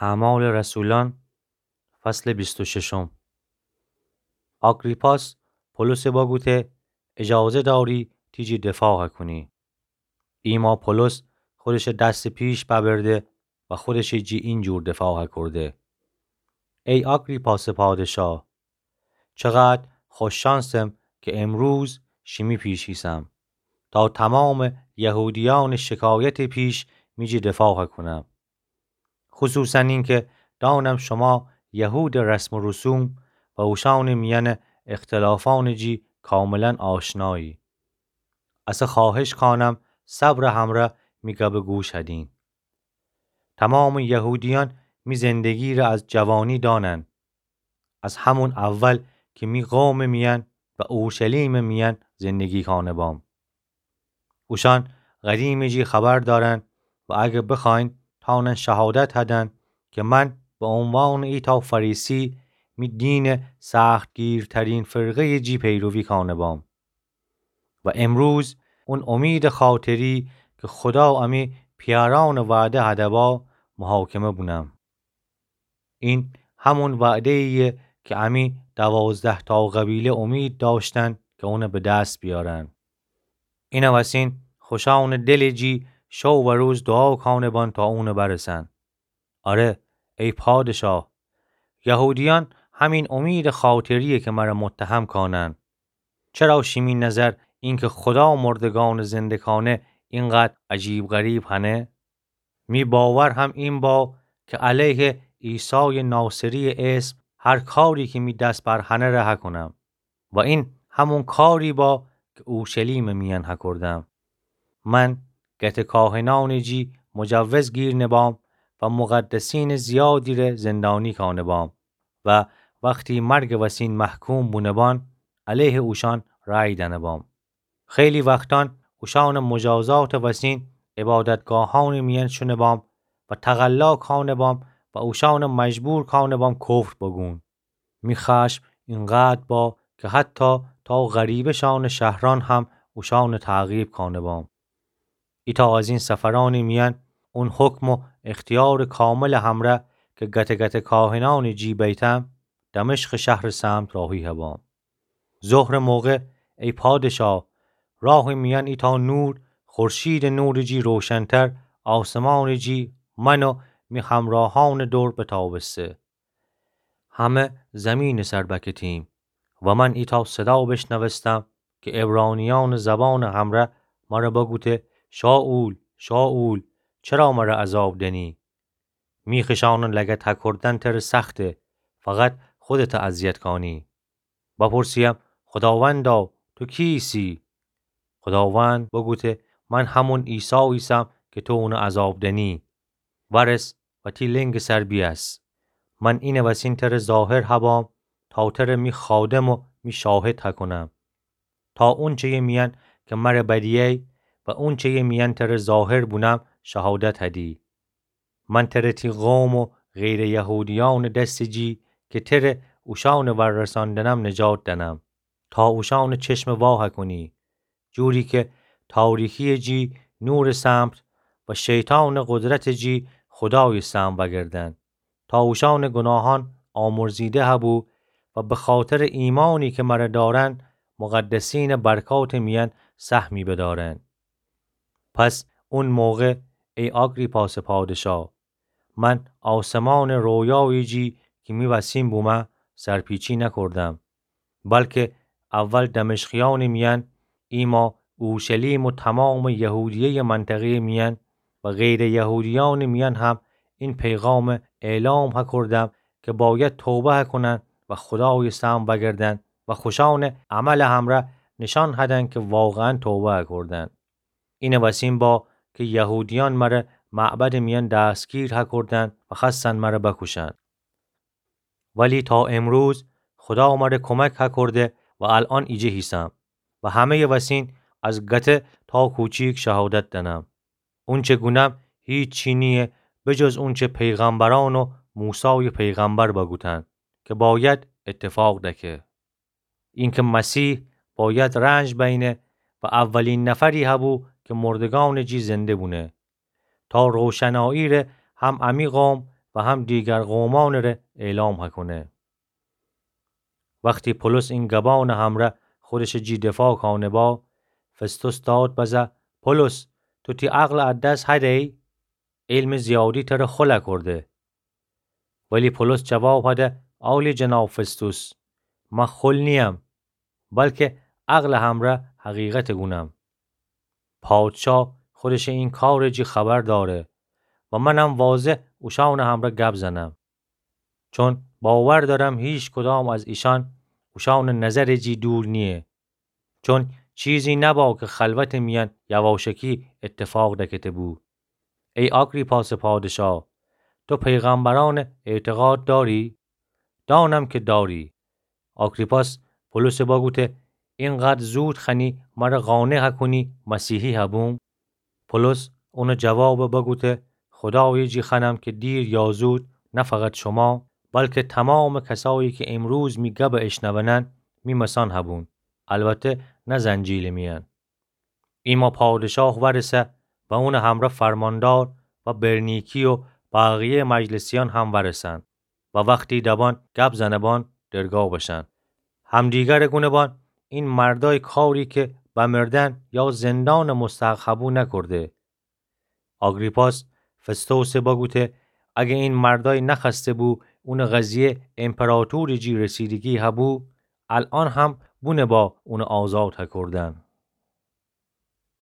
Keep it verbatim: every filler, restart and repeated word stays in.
اعمال رسولان، فصل بیست و ششم. آگریپاس پولوسه بگوته: اجازه داری تی جی دفاع کنی. ایما پولوس خودشه دس پیش ببرده و خودشه جی اینجور دفاع کرده: ای آگریپاس پادشاه، چقدر خوش‌شانسم که امروز شیمی پیش ایسم، تا تمام یهودیان شکایت پیش می جی دفاع کنم. خصوصاً اینکه دانم شما یهود رسم و رسوم و اوشان میان اختلافان جی کاملاً آشنایی. اسه خواهش کانم صبر همره می گبه گوش هدین. تمام یهودیان می زندگی ره از جوانی دانن. از همون اول که می قوم میان و اورشلیم میان زندگی کانه بام. اوشان قدیم جی خبر دارن و اگه بخواین تانن شهادت هدن که من به عنوان ایتا فریسی می دین سختگیرترین فرقه جی پیروی کانه بام. و امروز اون امید خاطری که خدا امی پیاران وعده هده با محاکمه بونم. این همون وعده‌ایه که امی دوازده تا قبیله امید داشتن که اونه به دست بیارن. اینه وسین خوشان دل جی شو و روز دعا کانه بان تا اونه برسن. آره، ای پادشاه، یهودیان همین امید خاطریه که مره متهم کانن. چرا شیمی نظر اینکه خدا مردگان زنده کانه اینقدر عجیب غریب هنه؟ می باور هم این با که علیه عیسای ناصری اسم هر کاری که می دست بر هنه ره هکنم. و این همون کاری با که اورشلیم میان هکردم. من گته کاهنان جی مجوز گیر نبام و مقدسین زیادی ره زندانی کانه بام و وقتی مرگ وسین محکوم بونه بان، علیه اوشان رأی دنه بام. خیلی وقتان اوشان مجازات وسین عبادتگاهان میان شونه بام و تقلا کانه بام و اوشان مجبور کانه بام کفر بگون. می خشم اینقدر با که حتی تا غریبه‌شان شهران هم اوشان تعقیب کانه بام. ایتا از این سفران میان اون حکم و اختیار کامل همره که گته گته کاهنان جی بیتم، دمشق شهر سمت راهی هبام. ظهر موقع، ای پادشاه، راه میان ایتا نور، خورشید نور جی روشنتر، آسمان جی من و می همراهان دور بتابسته. همه زمین سر بکتیم و من ایتا صدا بشنوستم که عبرانیان زبان همره مره بگوته: شائول، شائول، چرا مره عذاب دنی؟ می خشانان لگت هکردن تره سخته، فقط خودت اذیت کانی. بپرسیم: خداوندا، تو کیسی؟ خداوند بگوته: من همون عیسی ایسم که تو اونه عذاب دنی. ورس و تی لنگ سر بیاس. من اینه وسین تره ظاهر هبام تا تره می خادم و می شاهد هکنم. تا اونچه‌ی میان که مره بدیی و اونچه‌ی میان تره ظاهر بونم شهادت هدی. من تره تی قوم و غیر یهودیان دست جی که تره اوشان ورساندنم نجات دنم، تا اوشان چشم وا هکنی، جوری که تاریکی جی نور سمت و شیطان قدرت جی خدای سمت وگردن، تا اوشان گناهان آمرزیده هبو و به خاطر ایمانی که مره دارن، مقدسین برکات میان سهمی بدارن. پس اون موقع، ای آگریپاس پادشاه، من آسمان رویایی جی که می وسین بومه سرپیچی نکردم، بلکه اول دمشقیان میان، ایما اورشلیم و تمام یهودیه منطقه میان و غیر یهودیان میان هم این پیغام اعلام هکردم که باید توبه هکنن و خدای سمت وگردن و خوشان عمل همره نشان هدن که واقعاً توبه هکردن. اینه وسین با که یهودیان مره معبد میان دستگیر هکردن و خستن مره بکوشن. ولی تا امروز خدا مره کمک هکرده و الان ایجه هیسم و همه‌ی وسین از گته تا کوچیک شهادت دنم. اونچه گونم هیچی نیه به جز اونچه پیغمبران و موسای پیغمبر بگوتن که باید اتفاق دکه. اینکه مسیح باید رنج بینه و اولین نفری هبو که مردگان جی زنده بونه، تا روشنایی ره هم امی قوم و هم دیگر قومأنٚ ره اعلام هکونه. وختی پولس این گبأنٚ همره خودشٚ جی دفاع کانه با، فستوس داد بزه: پولس، تو تی عقلٚ ا دس هده‌یی؟ علمٚ زیادی تره خل اکورده. ولی پولس جواب هده: عالی جناب فستوس، من خل نییم، بلکه عقلٚ همره حقیقت گونم. پادشاه خودشٚ این کارٚ جی خبر داره و منم واضح اوشأنٚ همره گب زنم. چون باور دارم هیکدام از ایشأن اوشأنٚ نظرٚ جی دور نییه. چون چیزی نبا که خلوتٚ میأن یواشکی اتفاق دکته بو. ای آگریپاسٚ پادشاه، تو پیغمبرأن اعتقاد داری؟ دانم که داری. آگریپاس پولسٚ بگوته: اینقدر زود خوأنی مره قانع هکونی مسیحی هبوم؟ پولس اونٚ جوابٚ بگوته: خودایٚ جی خوأنم که دیر یا زود، نه فقط شما، بلکه تومامٚ کسایی که امروز می گبٚ اشنونن، می مثأن هبون، البته نه زنجیلٚ میأن. ایما پادشاه ورسه و اونٚ همره فرماندار و برنیکی و بقیه‌یٚ مجلسیأن هم ورسن و وختی دبان گب زنبان درگا بشن. همدیگره گونبان: این مردای کاری که بمردن یا زندانٚ مستحق هبو نکرده. آگریپاس فستوسٚ بگوته: اگه این مردای نخوأسته بو اونٚ قضیه امپراطورٚ جی رسیدگی هبو، الأن هم بونبا اونٚ آزاد هکردن.